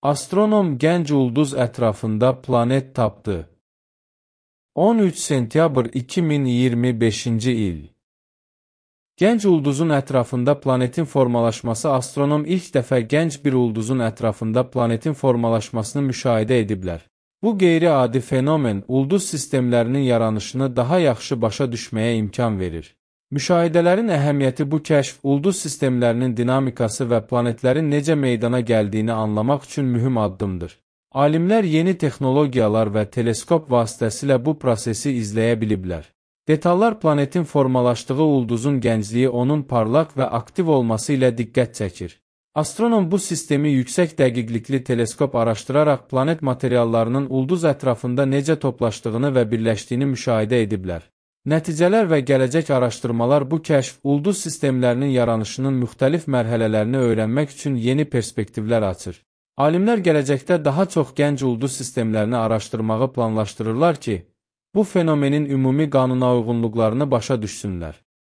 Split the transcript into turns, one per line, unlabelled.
Astronom gənc ulduz ətrafında planet tapdı. 13 sentyabr 2025-ci il. Gənc ulduzun ətrafında planetin formalaşması. Astronom ilk dəfə gənc bir ulduzun ətrafında planetin formalaşmasını müşahidə ediblər. Bu qeyri-adi fenomen ulduz sistemlərinin yaranışını daha yaxşı başa düşməyə imkan verir. Müşahidələrin əhəmiyyəti bu kəşf, ulduz sistemlərinin dinamikası və planetlərin necə meydana gəldiyini anlamaq üçün mühüm addımdır. Alimlər yeni texnologiyalar və teleskop vasitəsilə bu prosesi izləyə biliblər. Detallar planetin formalaşdığı ulduzun gəncliyi, onun parlaq və aktiv olması ilə diqqət çəkir. Astronom bu sistemi yüksək dəqiqlikli teleskop araşdıraraq planet materiallarının ulduz ətrafında necə toplaşdığını və birləşdiyini müşahidə ediblər. Nəticələr və gələcək araşdırmalar bu kəşf, ulduz sistemlərinin yaranışının müxtəlif mərhələlərini öyrənmək üçün yeni perspektivlər açır. Alimlər gələcəkdə daha çox gənc ulduz sistemlərini araşdırmağı planlaşdırırlar ki, bu fenomenin ümumi qanuna uyğunluqlarını başa düşsünlər.